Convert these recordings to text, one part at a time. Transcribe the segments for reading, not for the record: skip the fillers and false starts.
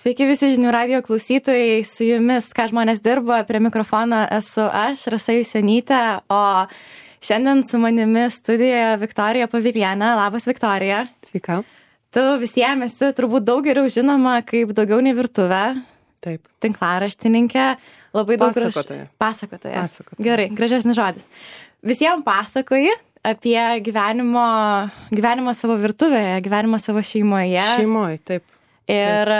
Sveiki visi žinių radijo klausytojai, su jumis Ką žmonės dirba, prie mikrofono esu aš, Rasa Jusionytė, o šiandien su manimi studijoje Viktorija Pavilienė. Labas, Viktorija. Sveika. Tu visiems esi turbūt daug geriau žinoma kaip Daugiau nei virtuvė. Taip. Tinklaraštininkė. Labai daug Pasakotoja. Gerai, gražesnis žodis. Visiems pasakoji apie gyvenimą savo virtuvėje, gyvenimą savo šeimoje. Šeimoje, taip. Ir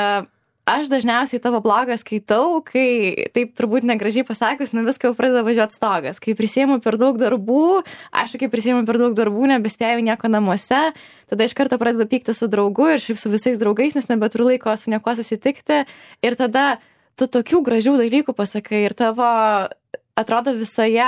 aš dažniausiai tavo blogą skaitau, kai, taip turbūt negražiai pasakius, viską jau pradeda važiuoti stogas. Kai prisiimu per daug darbų, nebespėjau nieko namuose, tada iš karto pradedu pykti su draugu ir šiaip su visais draugais, nes nebeturiu laiko su niekuo susitikti. Ir tada tu tokių gražių dalykų pasakai ir tavo, atrodo, visoje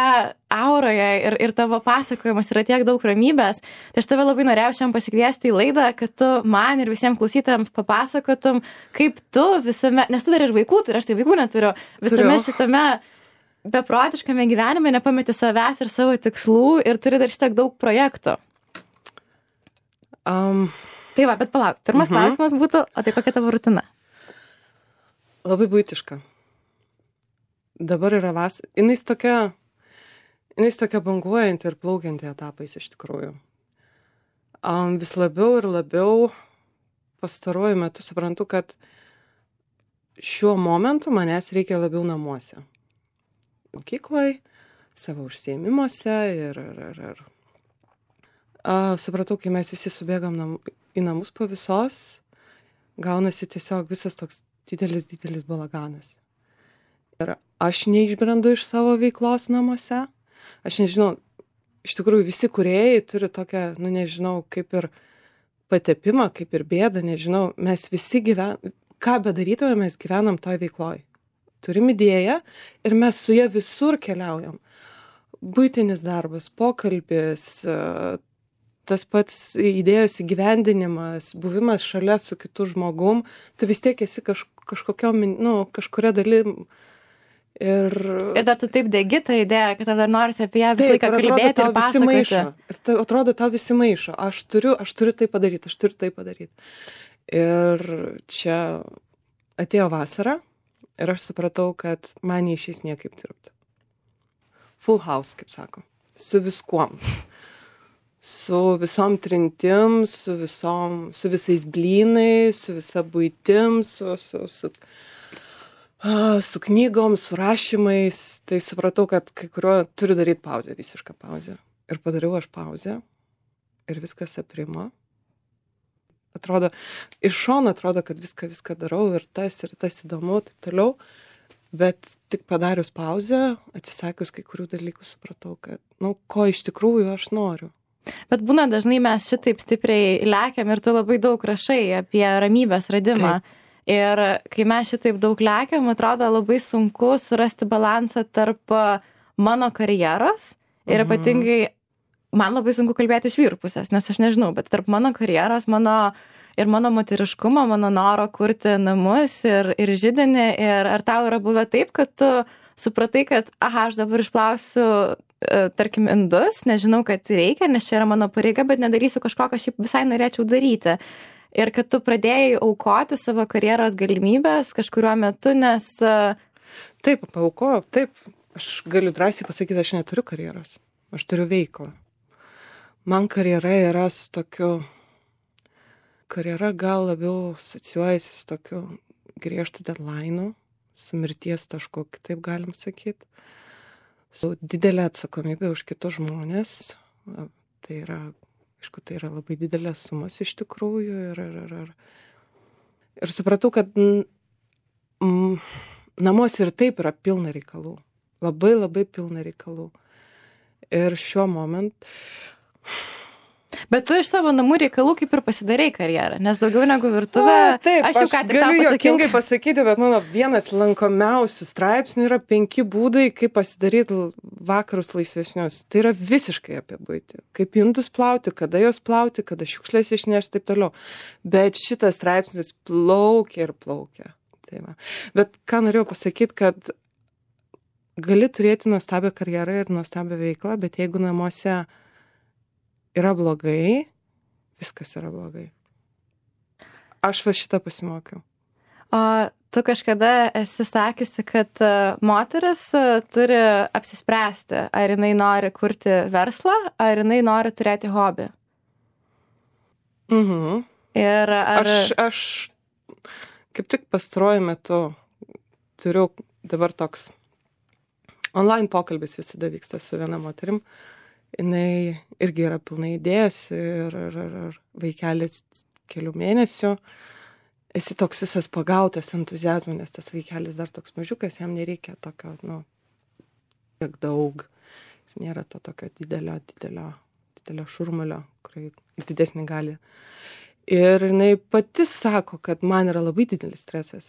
auroje ir tavo pasakojimas yra tiek daug ramybės. Tai aš tave labai norėjau šiandien pasikviesti į laidą, kad tu man ir visiems klausytojams papasakotum, kaip tu visame, nes tu dar ir vaikų turi, aš tai vaikų neturiu, visame šitame beprotiškame gyvenime nepameti savęs ir savo tikslų ir turi dar šitiek daug projektų. Tai va, bet palauk, pirmas klausimas būtų, o tai kokia tavo rutina? Labai buitiška. Dabar yra jinais tokia banguojanti ir plaukianti etapais iš tikrųjų. Vis labiau ir labiau pastaruoju metu suprantu, kad šiuo momentu manęs reikia labiau namuose. Mokykloj, savo užsiėmimuose ir supratau, kai mes visi subėgam į namus po visos, gaunasi tiesiog visas toks didelis balaganas. Ir aš neišbrendu iš savo veiklos namuose. Aš nežinau, iš tikrųjų visi kūrėjai turi tokią, nežinau, kaip ir patepimą, kaip ir bėdą, nežinau, mes visi ką bedarytume, mes gyvenam toj veikloj. Turim idėją ir mes su ja visur keliaujam. Buitinis darbas, pokalbis, tas pats idėjos įgyvendinimas, buvimas šalia su kitu žmogum, tu vis tiek esi kažkuria dalim. Ir dar tu taip degi tą idėją, kad dar norisi apie ją visą laiką kalbėti ir pasakoti. Ir atrodo, tau visi maišo. Aš turiu tai padaryti. Ir čia atėjo vasara ir aš supratau, kad man neišeis niekaip dirbti. Full house, kaip sako. Su viskuom. Su visom trintim, su visais blynais, su visa buitim, su knygom, su rašymais, tai supratau, kad kai kurio turiu daryti pauzę, visišką pauzę. Ir padariau aš pauzę ir viskas aprimo. Atrodo, iš šono atrodo, kad viską darau ir tas įdomu, taip toliau. Bet tik padarius pauzę, atsisakius kai kurių dalykų, supratau, kad, ko iš tikrųjų aš noriu. Bet būna dažnai mes šitaip stipriai lekiam ir tu labai daug rašai apie ramybės radimą. Taip. Ir kai mes šitaip daug lekiam, atrodo labai sunku surasti balansą tarp mano karjeros ir ypatingai man labai sunku kalbėti iš vyrų pusės, nes aš nežinau, bet tarp mano karjeros, mano moteriškumo, mano noro kurti namus ir židinį. Ir ar tau yra buvę taip, kad tu supratai, kad aš dabar išplausiu, tarkim, indus, nežinau, kad reikia, nes čia yra mano pareiga, bet nedarysiu kažko, ką šiaip visai norėčiau daryti. Ir kad tu pradėjai aukoti savo karjeros galimybės kažkuriuo metu, nes... Taip, paaukojau, taip. Aš galiu drąsiai pasakyti, aš neturiu karjeros. Aš turiu veiklą. Man karjera yra su tokiu... Karjera gal labiau asocijuojasi su tokiu griežtu deadline'u, su mirties tašku, kitaip galim sakyti. Su didelė atsakomybė už kitus žmonės. Tai yra... Aišku, tai yra labai didelės sumos iš tikrųjų ir supratau, kad namuose ir taip yra pilna reikalų. Labai, labai pilna reikalų. Ir šiuo momentu... Bet tu iš savo namų reikalų kaip ir pasidarei karjerą, nes daugiau negu virtuvė... Taip, aš galiu juokingai pasakyti, bet mano vienas lankomiausių straipsnių yra 5 būdai, kaip pasidaryti vakarus laisvesnius. Tai yra visiškai apie buitį. Kaip indus plauti, kada jos plauti, kada šiukšlės išnešti, taip toliau. Bet šitas straipsnis plaukia ir plaukia. Tai va. Bet ką norėjau pasakyti, kad gali turėti nuostabią karjerą ir nuostabią veiklą, bet jeigu namuose yra blogai, viskas yra blogai. Aš va šitą pasimokiau. O tu kažkada esi sakiusi, kad moteris turi apsispręsti, ar jinai nori kurti verslą, ar jinai nori turėti hobį. Mhm. Ir ar... Aš kaip tik pastaruoju metu turiu dabar toks online pokalbis visada vyksta su viena moterim. Jinai irgi yra pilnai idėjos ir vaikelis kelių mėnesių. Esi toks visas pagautas entuziazmo, nes tas vaikelis dar toks mažiukas, jam nereikia tokio, tiek daug. Nėra to tokio didelio šurmulio, kurį didesnį gali. Ir jinai pati sako, kad man yra labai didelis stresas.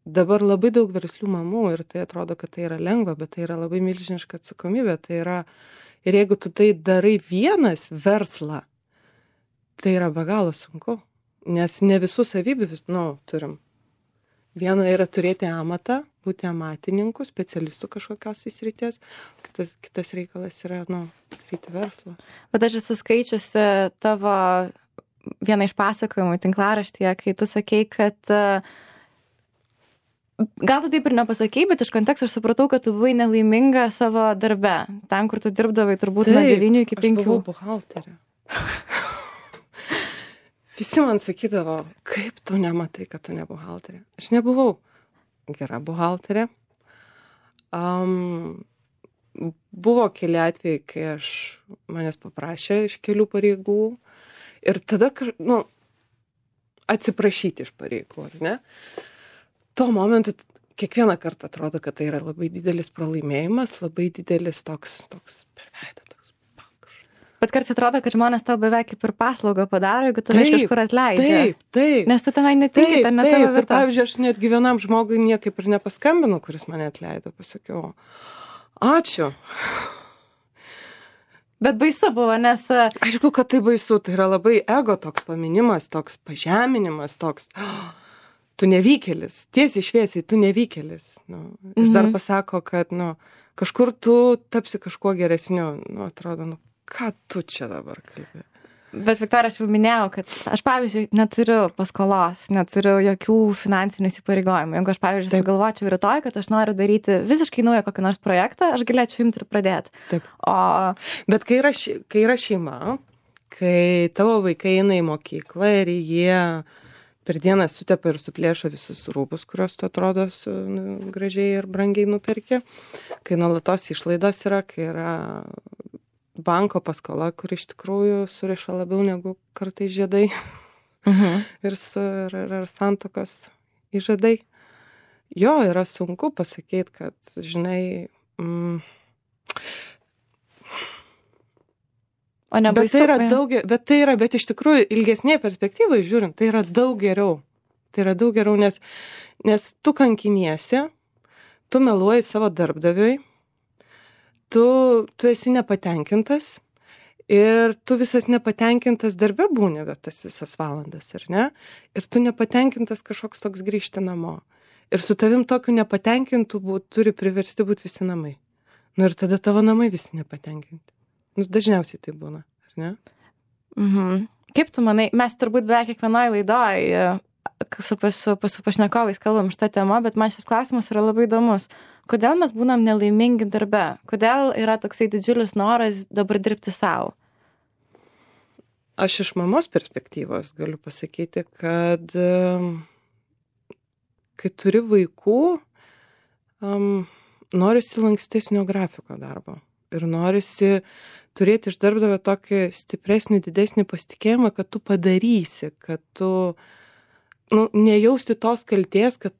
Dabar labai daug verslių mamų ir tai atrodo, kad tai yra lengva, bet tai yra labai milžiniška atsakomybė. Tai yra, ir jeigu tu tai darai vienas verslą, tai yra be galo sunku, nes ne visų savybių turim. Viena yra turėti amatą, būti amatininku, specialistu kažkokios srities, kitas reikalas yra, daryti verslą. Bet aš esu skaičiusi tavo vieną iš pasakojimų tinklaraštyje, kai tu sakei, kad gal tu taip ir nepasakei, bet iš konteksto aš supratau, kad tu buvai nelaiminga savo darbe. Ten, kur tu dirbdavai turbūt nuo 9 iki 5. Aš buvau buhalterė. Visi man sakydavo, kaip tu nematai, kad tu ne buhalterė. Aš nebuvau gera buhalterė. Buvo keli atvejai, kai manęs paprašė iš kelių pareigų ir tada, atsiprašyti iš pareigų, ar ne? Tuo momentu kiekvieną kartą atrodo, kad tai yra labai didelis pralaimėjimas, labai didelis toks per veidą, toks pakš. Bet kartais atrodo, kad žmonės tau beveik kaip ir paslaugą padaro, jeigu tave iš kažkur atleidžia. Taip. Nes tu tenai netinki, ten ne tavo vieta. Ir pavyzdžiui, aš netgi vienam žmogui niekaip ir nepaskambinu, kuris mane atleido, pasakiau, ačiū. Bet baisu buvo, nes... Aišku, kad tai baisu, tai yra labai ego toks paminimas, toks pažeminimas, toks... Tu nevykėlis, tiesiai šviesiai, tu nevykėlis. Ir dar pasako, kad kažkur tu tapsi kažkuo geresniu. Atrodo, ką tu čia dabar kalbė? Bet, Viktorija, aš jau minėjau, kad aš, pavyzdžiui, neturiu paskolos, neturiu jokių finansinių įsipareigojimų. Jeigu aš, pavyzdžiui, sugalvočiau rytoj, kad aš noriu daryti visiškai naują kokį nors projektą, aš galėčiau imti ir pradėti. Taip. Bet kai yra šeima, kai tavo vaikai eina į mokyklą ir jie per dieną sutepa ir suplėšo visus rūbus, kuriuos tu atrodo gražiai ir brangiai nuperki, kai nuolatos išlaidos yra, kai yra banko paskola, kur iš tikrųjų suriša labiau negu kartais žiedai ir santokos įžadai. Jo, yra sunku pasakyti, kad, žinai, bet iš tikrųjų ilgesnėje perspektyvoje žiūrint, tai yra daug geriau. Tai yra daug geriau, nes tu kankiniesi, tu meluoji savo darbdaviui, tu esi nepatenkintas ir tu visas nepatenkintas darbe būni tas visas valandas, ar ne? Ir tu nepatenkintas kažkoks toks grįžti namo. Ir su tavim tokiu nepatenkintų turi priversti būti visi namai. Ir tada tavo namai visi nepatenkinti. Dažniausiai tai būna, ar ne? Kaip tu manai, mes turbūt beveik kiekvienoje laidoje su pašnekovais kalbam šitą temą, bet man šis klausimas yra labai įdomus. Kodėl mes būnam nelaimingi darbe? Kodėl yra toksai didžiulis noras dabar dirbti savo? Aš iš mamos perspektyvos galiu pasakyti, kad kai turi vaikų, norisi lankstesnio grafiko darbo. Ir norisi turėti iš darbdavio tokį stipresnį, didesnį pasitikėjimą, kad tu padarysi, kad tu nejausti tos kaltės, kad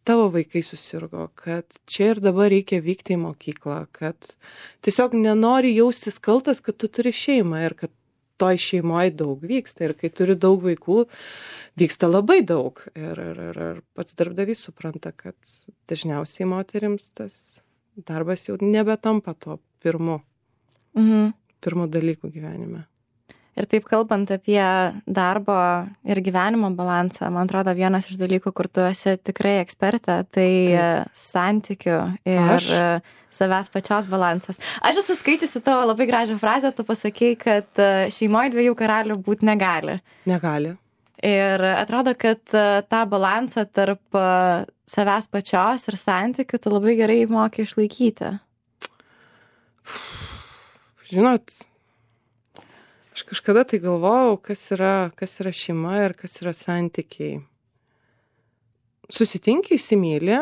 tavo vaikai susirgo, kad čia ir dabar reikia vykti į mokyklą, kad tiesiog nenori jaustis kaltas, kad tu turi šeimą ir kad toj šeimoje daug vyksta. Ir kai turi daug vaikų, vyksta labai daug. Ir pats darbdavys supranta, kad dažniausiai moterims tas darbas jau nebetampa to pirmu dalyku gyvenime. Ir taip kalbant apie darbo ir gyvenimo balansą, man atrodo, vienas iš dalykų, kur tu esi tikrai ekspertė, tai santykių ir savęs pačios balansas. Aš esu skaičiusi tavo labai gražią frazę, tu pasakei, kad šeimoje 2 karalių būti negali. Negali. Ir atrodo, kad tą balansą tarp savęs pačios ir santykių tu labai gerai moki išlaikyti. Žinot, aš kažkada tai galvojau, kas yra šeima ir kas yra santykiai. Susitinki, įsimylė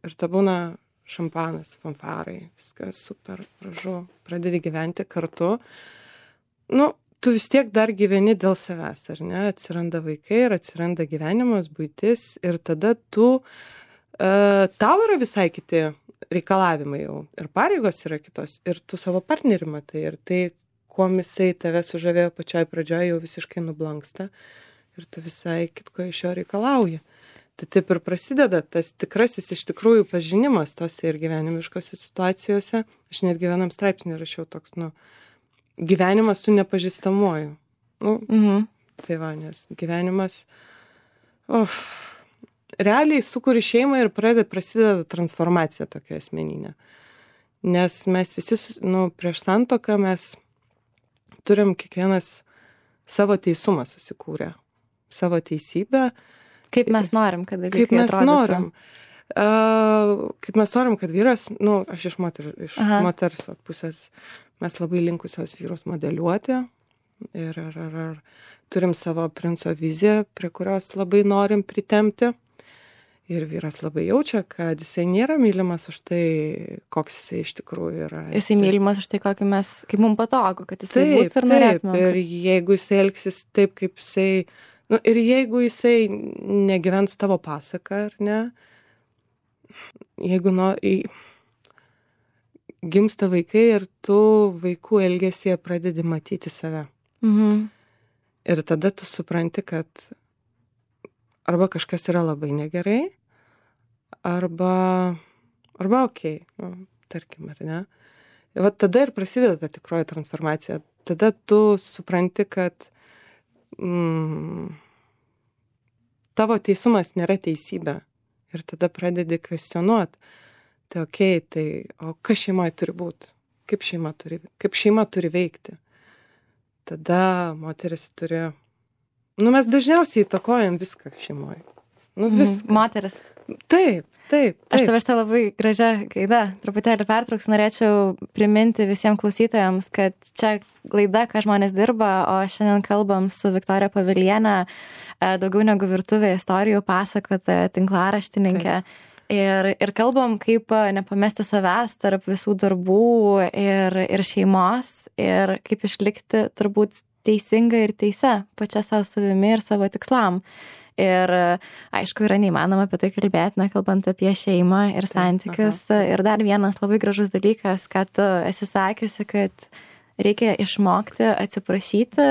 ir ta būna šampanas, fanfarai, viskas super gražu, pradedi gyventi kartu. Nu, tu vis tiek dar gyveni dėl savęs, ar ne? Atsiranda vaikai ir atsiranda gyvenimas, buitis ir tada tau yra visai kiti reikalavimai jau ir pareigos yra kitos ir tu savo partnerį matai ir tai, kuom jisai tave sužavėjo pačioj pradžioje, jau visiškai nublanksta ir tu visai kitko iš jo reikalauji. Tai taip ir prasideda tas tikrasis iš tikrųjų pažinimas tose ir gyvenimiškose situacijose. Aš netgi vienam straipsnį rašiau toks, gyvenimas su nepažįstamuoju. Tai va, nes gyvenimas, realiai sukuri šeimą ir prasideda transformacija tokia asmeninė. Nes mes visi, prieš santuoką mes turim kiekvienas savo teisumą susikūrę, savo teisybę. Kaip mes norim, kad dalykai atrodytų. Kaip mes norim, kad vyras, aš iš moters pusės, mes labai linkusios vyrus modeliuoti ir turim savo princo viziją, prie kurios labai norim pritempti. Ir vyras labai jaučia, kad jisai nėra mylimas už tai, koks jisai iš tikrųjų yra. Jisai mylimas už tai, kaip mums patogu, kad jisai būtų ir norėtume. Ir jeigu jisai elgsis taip, kaip jisai, ir jeigu jisai negyvens tavo pasaką, ar ne, jeigu gimsta vaikai ir tu vaikų elgesyje pradedi matyti save. Ir tada tu supranti, kad arba kažkas yra labai negerai, arba okei, tarkim, ar ne. Ir tada ir prasideda ta tikroji transformacija. Tada tu supranti, kad tavo teisumas nėra teisybė. Ir tada pradedi kvestionuoti. Tai okei, o kas šeimoje turi būti? Kaip šeima turi veikti? Tada moteris turi... mes dažniausiai įtakojam viską šeimoje. Viską. Moteris. Taip. Aš tavęs tą labai gražią gaidą truputėlį pertrauks. Norėčiau priminti visiems klausytojams, kad čia laida, ką žmonės dirba, o šiandien kalbam su Viktorija Pavilienė, daugiau negu virtuvė istorijų pasakotoja, tinklaraštininkė. Ir kalbam, kaip nepamesti savęs tarp visų darbų ir šeimos ir kaip išlikti turbūt teisinga ir teise pačia savo savimi ir savo tikslam. Ir aišku, yra neįmanoma apie tai kalbėti, kalbant apie šeimą ir santykius. Ir dar vienas labai gražus dalykas, kad tu esi sakiusi, kad reikia išmokti atsiprašyti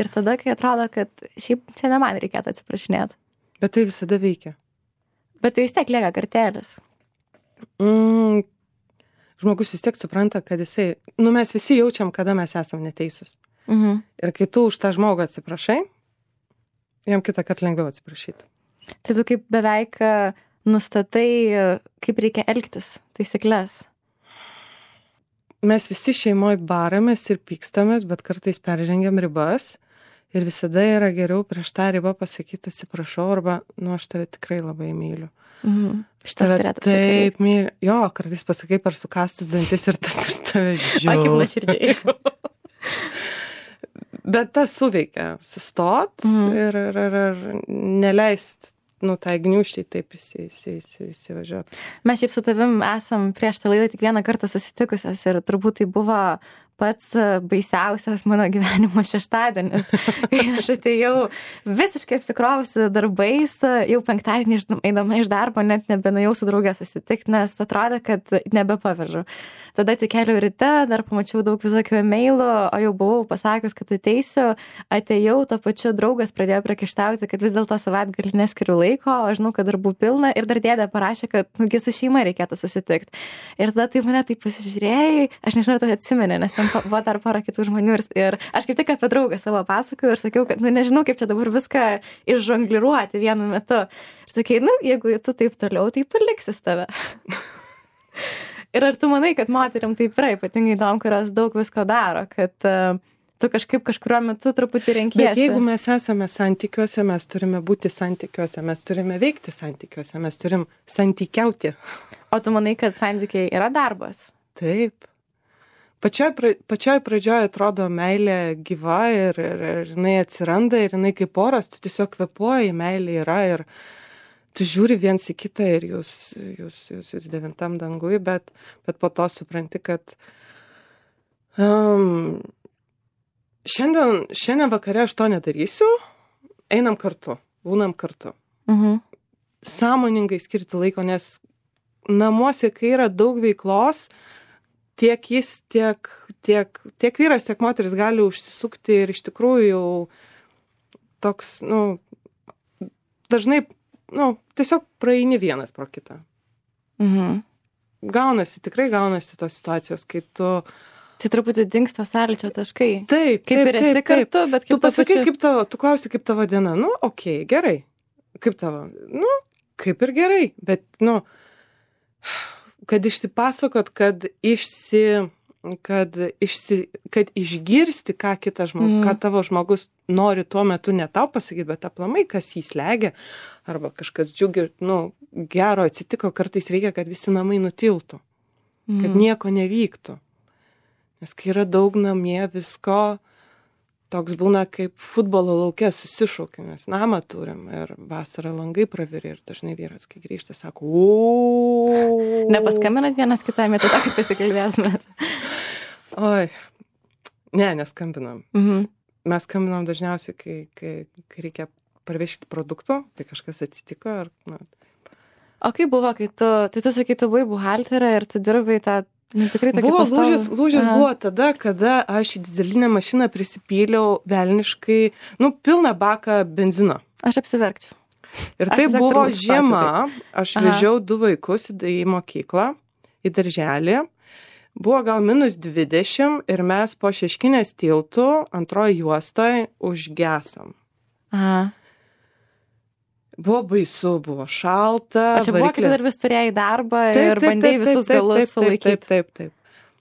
ir tada, kai atrodo, kad šiaip čia ne man reikėtų atsiprašinėti. Bet tai visada veikia. Bet tai vis tiek lieka kartelis. Žmogus vis tiek supranta, kad jisai, mes visi jaučiam, kada mes esam neteisūs. Ir kai tu už tą žmogų atsiprašai, jam kitą kartą lengviau atsiprašyti. Tai tu kaip beveik nustatai, kaip reikia elgtis, taisyklės. Mes visi šeimoje baramės ir pykstamės, bet kartais peržengiam ribas ir visada yra geriau prieš tą ribą pasakyti atsiprašau arba, aš tave tikrai labai myliu. Šitas turėtų taip myliu. Jo, kartais pasakai per sukastus dantis ir tas ir tave žiūri. Kaip nuoširdžiai. Bet tas suveikia, sustot ir neleist, tai gniūžčiai taip įsivažiuoti. Mes šiaip su tavim esam prieš tą laidą tik vieną kartą susitikusios ir turbūt tai buvo pats baisiausias mano gyvenimo šeštadienis, kai aš atėjau visiškai apsikrovusi darbais, jau penktadienį eidama iš darbo net nebenuėjau su draugė susitikti, nes atrodė, kad nebepavežu. Tada atsikėliau ryte, dar pamačiau daug visokių e-mailų, o jau buvau pasakius, kad ateisiu, atėjau, to pačiu draugas pradėjo priekaištauti, kad vis dėlto savaitgalį neskiriu laiko, o žinau, kad darbų pilna ir dar dėdė parašė, kad su šeima reikėtų susitikti. Ir tada tai mane taip pasižiūrėjai, aš nežinau, tai atsimeni, nes ten buvo dar pora kitų žmonių ir aš kaip tik apie draugą savo pasakoju ir sakiau, kad nežinau, kaip čia dabar viską išžongliruoti vienu metu. Ir sakai, jeigu tu taip toliau, tai paliksis tave. Ir ar tu manai, kad moteriam taip yra, ypatingai tom, kurios daug visko daro, kad tu kažkaip kažkuriuo metu truputį renkiesi. Bet jeigu mes esame santykiuose, mes turime būti santykiuose, mes turime veikti santykiuose, mes turim santykiauti. O tu manai, kad santykiai yra darbas? Taip. Pačioj pradžioje atrodo meilė gyva ir jinai atsiranda ir jinai kaip oras, tu tiesiog kvėpuoji, meilė yra ir tu žiūri viens į kitą ir jūs devintam dangui, bet po to supranti, kad šiandien vakare aš to nedarysiu, einam kartu, būnam kartu. Sąmoningai skirti laiko, nes namuose, kai yra daug veiklos, tiek jis, tiek vyras, tiek moteris gali užsisukti ir iš tikrųjų jau toks, dažnai, tiesiog praeini vienas pro kitą. Tikrai gaunasi tos situacijos, kai tu... Tai truputį dingsta sąlyčio taškai. Taip. Kaip ir esi kartu, bet kaip tu pasakai, tu klausi, kaip tavo diena. Okei, gerai. Kaip tavo? Kaip ir gerai, bet, kad išsipasakot, kad išgirsti, ką ką tavo žmogus nori tuo metu ne tau pasakyti, bet aplamai, kas jį slegia, arba kažkas džiugi, gero atsitiko, kartais reikia, kad visi namai nutiltų, kad nieko nevyktų. Nes kai yra daug namie visko, toks būna kaip futbolo lauke susišaukia, mes namą turim ir vasarą langai praviri ir dažnai vyras, kai grįžta, sako, Nepaskambinat vienas kitam, tai tą kaip pasikalbėsime? Oi, neskambinam. Mes skambinam dažniausiai, kai reikia parvežti produktų, tai kažkas atsitiko. O kaip buvo, kai tu sakai, tu buvai buhalterė ir tu dirbai tą tikrai tokį pastovų? Lūžis buvo tada, kada aš į dyzelinę mašiną prisipyliau velniškai, pilną baką benzino. Aš apsiverkčiau. Ir tai buvo žiema, aš vežiau 2 vaikus į mokyklą, į darželį. Buvo gal -20 ir mes po Šeškinės tiltų antroji juostoje užgesom. Buvo baisu, buvo šalta. O čia buvo, kai dar vis turėjai darbą ir bandėjai visus galus sulaikyti. Taip.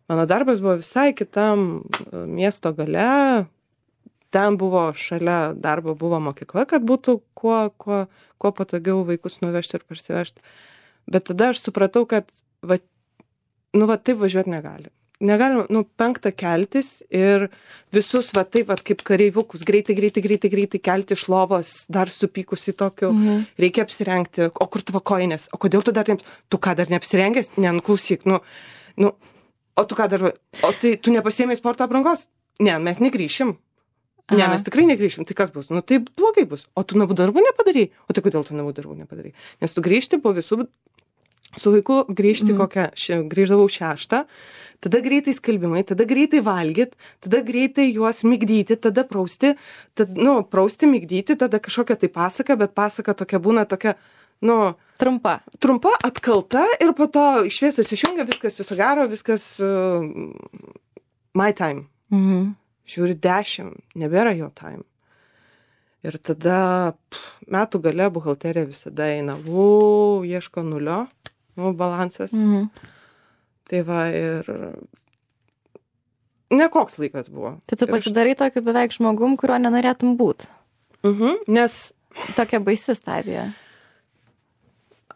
Mano darbas buvo visai kitam miesto gale. Ten buvo šalia darbo buvo mokykla, kad būtų kuo patogiau vaikus nuvežti ir parsivežti. Bet tada aš supratau, kad taip važiuoti negali. Negalim, 5 keltis ir visus taip kaip kareivukus greitai kelti iš lovos, dar supykusi tokiu, reikia apsirengti, o kur tavo kojinės, o kodėl tu dar tu ką dar neapsirengęs, klausyk, o tu ką dar, o tai tu nepasiėmei sporto aprangos? Ne, mes negrįšim. Ne, mes tikrai negrįšim, tai kas bus? Tai blogai bus. O tu namų darbų nepadarai? O tai kodėl tu namų darbų nepadarai? Nes tu grįžti po visų, su vaiku grįžti grįždavau 6, tada greitai skalbimai, tada greitai valgyt, tada greitai juos migdyti, tada prausti, prausti, migdyti, tada kažkokia tai pasaka, bet pasaka tokia būna tokia, trumpa, atkalta ir po to šviesos išjungia, viskas viso gero, viskas my time. Žiūri 10, nebėra jo time. Ir tada metų gale buhalterija visada eina, ieško nulio, balansas. Tai va ir nekoks laikas buvo. Tai tu pasidarai tokiu beveik žmogum, kurio nenorėtum būt. Nes... Tokia baisi stadija.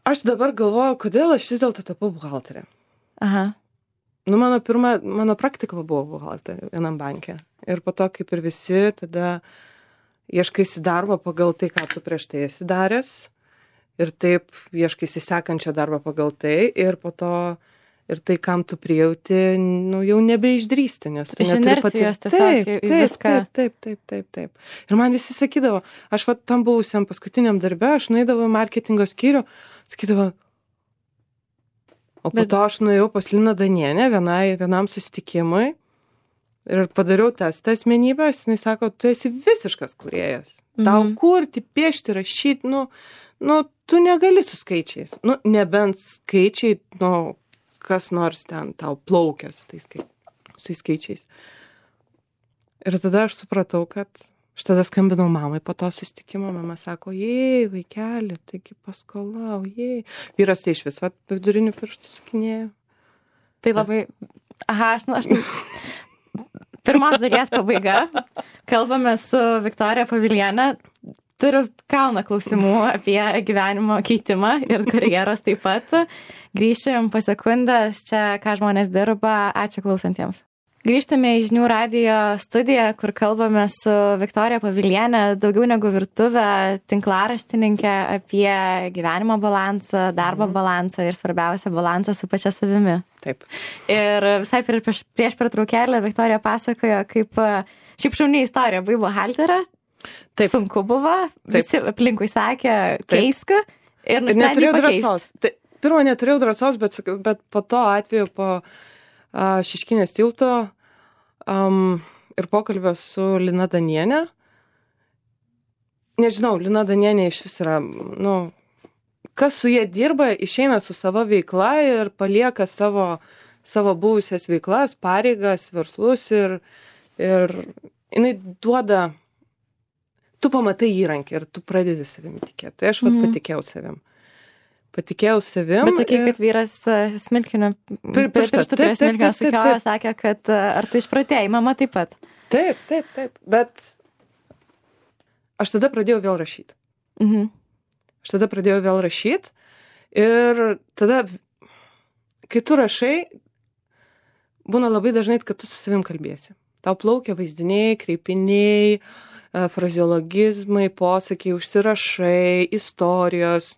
Aš dabar galvoju, kodėl aš vis dėlto tapau buhalterė. Mano praktika buvo buhalterė vienam banke. Ir po to, kaip ir visi, tada ieškaisi darbo pagal tai, ką tu prieš tai esi daręs. Ir taip ieškaisi sekančią darbą pagal tai. Ir po to, ir tai, kam tu prijauti, jau nebeišdrįsti. Nes iš inercijos tiesiog viską. Taip. Ir man visi sakydavo, aš tam buvusiam paskutiniam darbe, aš nueidavau į marketingo skyrių, sakydavo, o po to aš nuėjau pas Liną Danienę vienam susitikimui ir padariau testą asmenybės, jinai sako, tu esi visiškas kūrėjas. Tau kurti, piešti, rašyti, tu negali su skaičiais. Nebent skaičiai, kas nors ten tau plaukia su tais skaičiais. Ir tada aš supratau, kad aš tada skambinau mamai po to susitikimo, mama sako, vaikeli, taigi paskola, Vyras tai iš viso vidurinių pirštų sukinėjo. Tai labai, aš pirmos dalies pabaiga. Kalbame su Viktorija Pavilienė. Turiu kalną klausimų apie gyvenimo keitimą ir karjeros taip pat. Grįšim po sekundės čia, ką žmonės dirba. Ačiū klausantiems. Grįžtame į Žinių radijo studiją, kur kalbame su Viktorija Pavilienė, daugiau negu virtuvė, tinklaraštininkė apie gyvenimo balansą, darbo balansą ir svarbiausia balansą su pačia savimi. Taip. Ir visai prieš pertraukėlę Viktorija pasakojo, kaip šiaip šauni istorija, buvai buhalterė, sunku buvo, visi aplinkui sakė, keisk ir nusprendė pakeisti. Pirmą neturėjau drąsos, bet po to atveju po Šeškinės tilto ir pokalbio su Lina Danienė. Nežinau, Lina Danienė iš vis yra, kas su jie dirba, išeina su savo veikla ir palieka savo buvusias veiklas, pareigas, verslus ir jinai duoda, tu pamatai įrankį ir tu pradedi savimi tikėti. Tai aš patikėjau savim. Bet sakai, kad vyras smilkinio, pirštų prie smilkinio sukiojo, sakė, kad ar tu išpratėjai, mama taip pat. Taip. Bet aš tada pradėjau vėl rašyti. Ir tada, kai tu rašai, būna labai dažnai, kad tu su savim kalbėsi. Tau plaukia vaizdiniai, kreipiniai, frazeologizmai, posakiai, užsirašai, istorijos,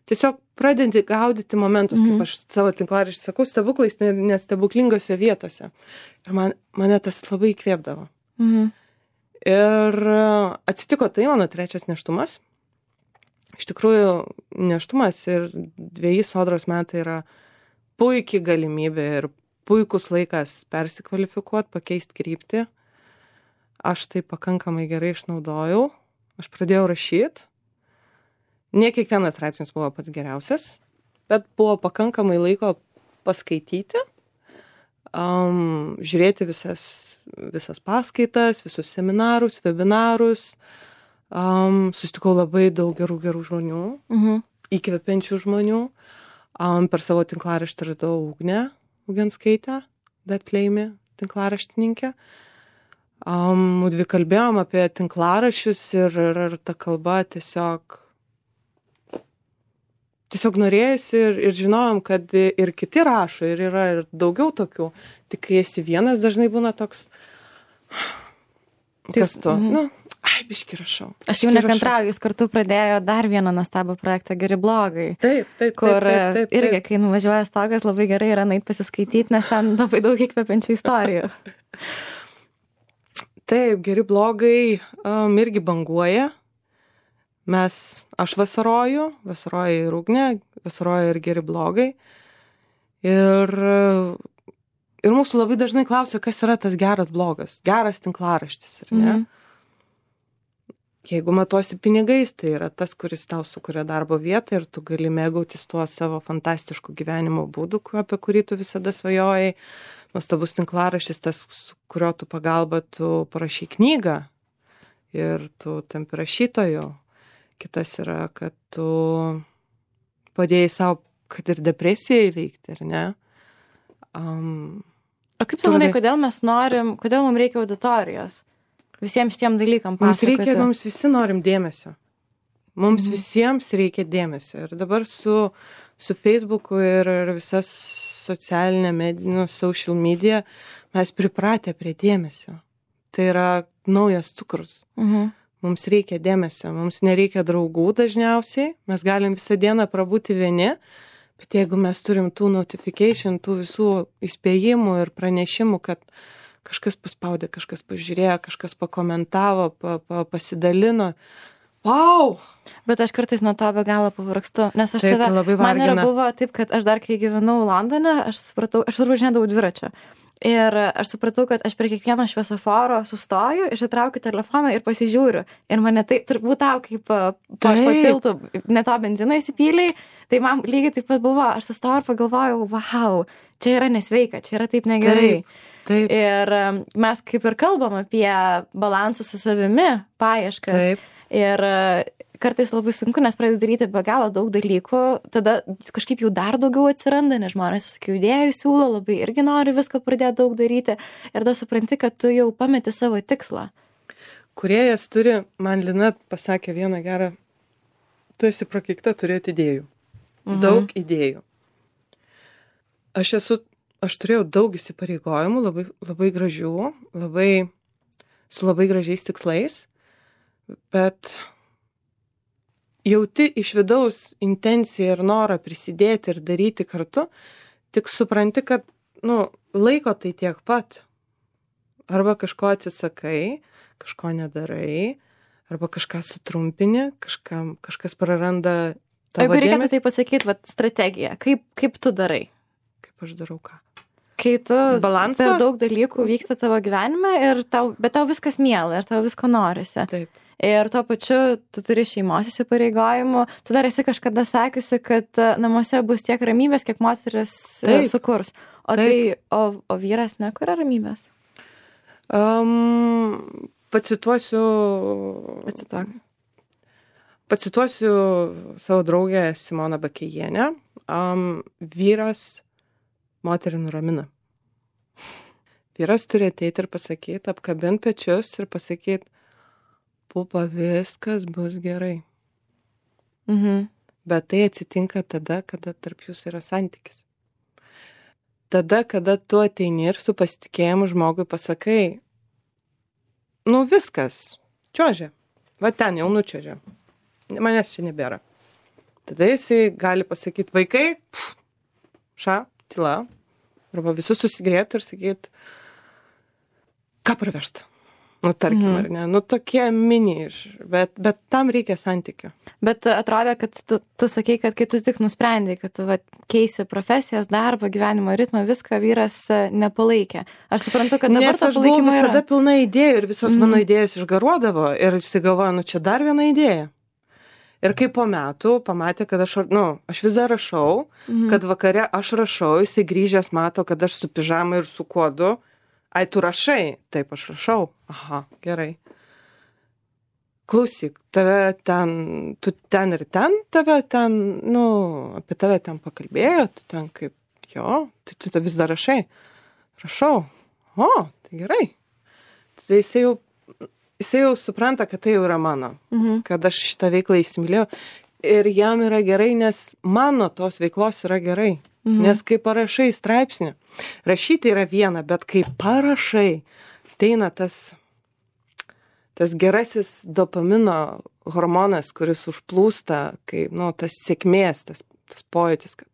tiesiog pradedi gaudyti momentus, kaip aš savo tinklaraštį sakau, stebuklais, nestebuklingose vietose. Ir mane tas labai įkvėpdavo. Ir atsitiko tai mano 3 nėštumas. Iš tikrųjų, nėštumas ir 2 sodros metai yra puikiai galimybė ir puikus laikas persikvalifikuoti, pakeisti kryptį. Aš tai pakankamai gerai išnaudojau. Aš pradėjau rašyti. Ne kiekvienas straipsnis buvo pats geriausias, bet buvo pakankamai laiko paskaityti, žiūrėti visas paskaitas, visus seminarus, webinarus. Susitikau labai daug gerų žmonių, įkvepiančių žmonių. Per savo tinklaraštį radau Ugnę Ugenskaitę, Datleimį tinklaraštininkę. Mudvi kalbėjom apie tinklaraščius ir ta kalba tiesiog norėjusi ir žinojom, kad ir kiti rašo ir yra ir daugiau tokių. Tik kai esi vienas, dažnai būna toks, kas tu? Biški rašau. Aš jau nekantrauju, jūs kartu pradėjo dar vieną nuostabų projektą Geri blogai. Taip. Kur irgi, kai nuvažiuoja stogas, labai gerai yra nueit pasiskaityti, nes ten labai daug įkvepiančių istorijų. Taip, Geri blogai irgi banguoja. Aš vasaroju ir Ugnė, vasaroju ir Geri blogai. Ir mūsų labai dažnai klausia, kas yra tas geras blogas, geras tinklaraštis, ar ne? Jeigu matuosi pinigais, tai yra tas, kuris tau sukuria darbo vietą ir tu gali mėgautis tuo savo fantastišku gyvenimo būdu, apie kurį tu visada svajojai. Nuostabus tinklaraštis, tas, su kurio tu pagalba tu parašy knygą ir tu tampi rašytoju. Kitas yra, kad tu padėjai savo, kad ir depresiją įveikti, ar ne? O kaip tu manai, kodėl mums reikia auditorijos? Visiems šitiem dalykam pasakoti. Mums visi norim dėmesio. Mums visiems reikia dėmesio. Ir dabar su Facebooku ir visas socialinė medija, social media, mes pripratę prie dėmesio. Tai yra naujas cukrus. Mums reikia dėmesio, mums nereikia draugų dažniausiai, mes galim visą dieną prabūti vieni, bet jeigu mes turim tų notification, tų visų įspėjimų ir pranešimų, kad kažkas paspaudė, kažkas pažiūrėjo, kažkas pakomentavo, pasidalino. Wow! Bet aš kartais nuo to be galo pavargstu, nes aš man yra buvo taip, kad aš dar kai gyvenau Londone, aš važinėdavau dviračiu. Ir aš supratau, kad aš prie kiekvieno šviesoforo sustoju, išsitraukiu telefoną ir pasižiūriu. Ir mane taip, turbūt tau, kaip po tiltų, ne to benziną įsipyliai, tai man lygiai taip pat buvo, aš sustojau ir pagalvojau, wow, čia yra nesveika, čia yra taip negerai. Taip. Ir mes kaip ir kalbam apie balansą su savimi, paieškas. Ir kartais labai sunku, nes pradedi daryti be galo daug dalykų, tada kažkaip jų dar daugiau atsiranda, nes žmonės visokių idėjų siūlo, labai irgi nori visko pradėti daug daryti ir tada supranti, kad tu jau pameti savo tikslą. Kūrėjas turi, man Lina pasakė vieną gerą, tu esi prakeikta turėti idėjų. Daug idėjų. Aš turėjau daug įsipareigojimų, labai gražių, su labai gražiais tikslais, bet jauti iš vidaus intenciją ir norą prisidėti ir daryti kartu, tik supranti, kad, laiko tai tiek pat. Arba kažko atsisakai, kažko nedarai, arba kažką sutrumpini, kažkas praranda tavo Jeigu reikėtų dėmesį. tai pasakyti, strategija, kaip tu darai? Kaip aš darau ką? Kai tu Balansą? per daug dalykų vyksta tavo gyvenime, bet tau viskas miela ir tau visko norisi. Taip. Ir tuo pačiu tu turi šeimos įsipareigojimų. Tu dar esi kažkada sakiusi, kad namuose bus tiek ramybės, kiek moteris sukurs. O vyras nekuria ramybės? Pacituosiu savo draugę Simoną Bakėjienę. Vyras moterį nuramina. Vyras turi ateiti ir pasakyti, apkabinti pečius ir pasakyti, pupa, viskas bus gerai. Bet tai atsitinka tada, kada tarp jūsų yra santykis. Tada, kada tu ateini ir su pasitikėjimu žmogui pasakai, viskas, čiuožia, va ten jau nučiuožia, manęs čia nebėra. Tada jisai gali pasakyti, vaikai, tyla, arba visus susigrėti ir sakyti, ką pravežt. Tarkim, ar ne? Tokie mini, bet tam reikia santykio. Bet atrodė, kad tu sakei, kad kai tu tik nusprendai, kad tu keisi profesijas, darbą, gyvenimo ritmą, viską vyras nepalaikė. Aš suprantu, kad dabar to palaikymo yra. Nes aš buvau visada pilna idėjų ir visos mano idėjos išgaruodavo ir jis galvoja, čia dar viena idėja. Ir kai po metų pamatė, kad aš vis dar rašau, kad vakare aš rašau, jisai grįžęs mato, kad aš su pižama ir su kodu. Ai, tu rašai? Taip, aš rašau. Aha, gerai. Klausyk, tu ten ir ten, apie tave ten pakalbėjo, tu ten kaip, tai tu vis dar rašai. Rašau. O, tai gerai. Tai jisai jau supranta, kad tai jau yra mano, kad aš šitą veiklą įsimylėjau. Ir jam yra gerai, nes mano tos veiklos yra gerai. Nes kai parašai straipsnį, rašyti yra viena, bet kai parašai, ateina tas gerasis dopamino hormonas, kuris užplūsta, kai, tas sėkmės, tas pojūtis, kad...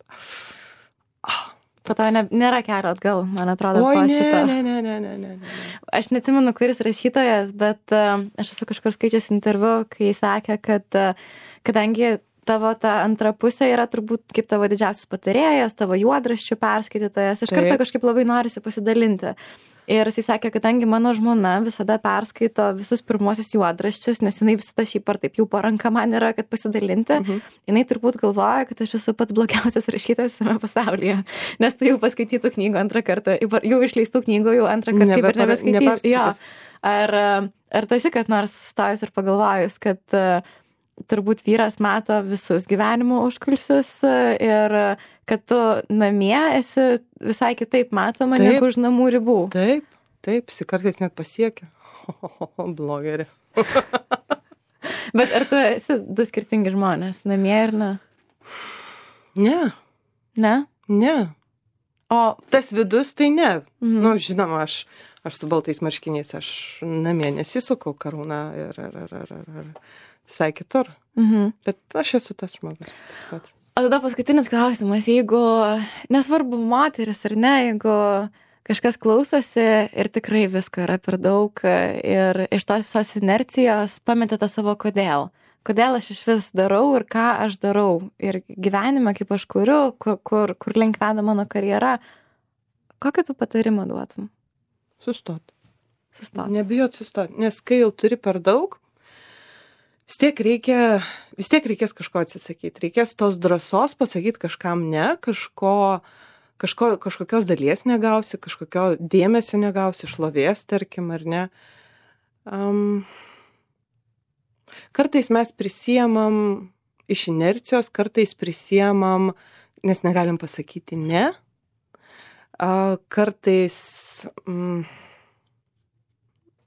Po to nėra kelio atgal, man atrodo, po šito. Ne. Aš neatsimenu, kuris rašytojas, bet aš esu kažkur skaičius interviu, kai jis sakė, kad kadangi tavo ta antra pusė yra turbūt kaip tavo didžiausias patarėjas, tavo juodraščių perskaitytojas, iš karto kažkaip labai norisi pasidalinti. Ir jis sakė, kadangi mano žmona visada perskaito visus pirmosius juodraščius, nes jinai visada šiaip ar taip jau po ranka man yra, kad pasidalinti, jinai turbūt galvoja, kad aš esu pats blogiausias rašytojas visame pasaulyje, nes tu jau paskaitytų knygų antrą kartą, jau išleistų knygų jau antrą kartą kaip ir nebeskaitysiu. Ar tu esi kad nors stojus ir pagalvojus, kad turbūt vyras mato visus gyvenimo užkulsius ir kad tu namie esi visai kitaip matoma negu už namų ribų. Taip, jis kartais net pasiekia. Blogerė. Bet ar tu esi du skirtingi žmonės, namie ir ne? Ne. Ne? Ne. O tas vidus tai ne. Žinoma, aš su baltais marškiniais, aš namie nesisukau karūną ir visai kitur. Bet aš esu tas žmogus. Tas pats. O tada paskutinis klausimas, jeigu, nesvarbu moteris ar ne, jeigu kažkas klausosi ir tikrai visko yra per daug ir iš tos visos inercijos pametė tą savo kodėl. Kodėl aš iš vis darau ir ką aš darau. Ir gyvenime, kaip aš kuriu, kur link veda mano karjera, kokį tu patarimą duotum? Sustot. Nebijot sustot, nes kai jau turi per daug, vis tiek reikės kažko atsisakyti. Reikės tos drąsos pasakyti kažkam ne, kažkokios dalies negausi, kažkokio dėmesio negausi, šlovės, tarkim, ar ne. Kartais mes prisiemam iš inercijos, kartais prisiemam, nes negalim pasakyti ne. Kartais...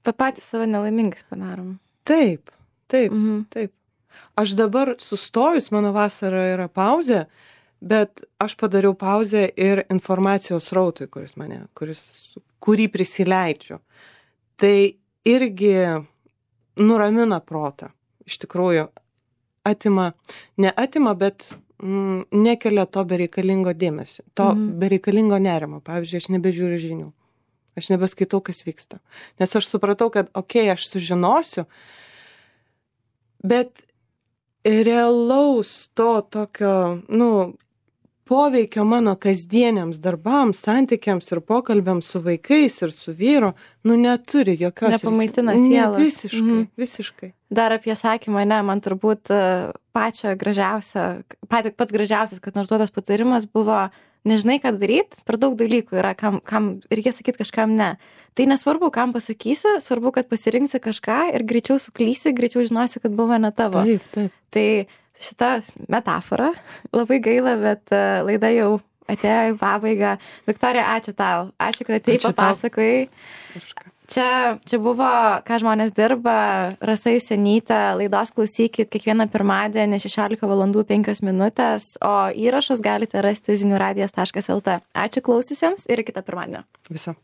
Patys save nelaimingais padarom. Taip. Aš dabar sustojus, mano vasara yra pauzė, bet aš padariau pauzę ir informacijos rautui, kurį prisileidžiu. Tai irgi nuramina protą. Iš tikrųjų, neatima, bet nekelia to bereikalingo dėmesio, to bereikalingo nerimo. Pavyzdžiui, aš nebežiūriu žinių. Aš nebeskaitau, kas vyksta. Nes aš supratau, kad, aš sužinosiu, bet realaus to tokio, poveikio mano kasdieniams darbams, santykiams ir pokalbiams su vaikais ir su vyru, neturi jokios... Nepamaitina sielos. Visiškai. Dar apie sakymą, man turbūt pats gražiausias, kad nors duotas patarimas buvo, nežinai, ką daryti, per daug dalykų yra, kam reikia sakyti kažkam ne. Tai nesvarbu, kam pasakysi, svarbu, kad pasirinksi kažką ir greičiau suklysi, greičiau žinosi, kad buvo ne tavo. Taip. Tai šita metafora, labai gaila, bet laida jau atėjo į pabaigą. Viktorija, ačiū tau. Ačiū, kad atėjai, papasakojai. Čia buvo, ką žmonės dirba, Rasa Jusionytė, laidos klausykit kiekvieną pirmadienį 16:05, o įrašus galite rasti ziniuradijas.lt. Ačiū klausysiams ir iki kito pirmadienio. Viso.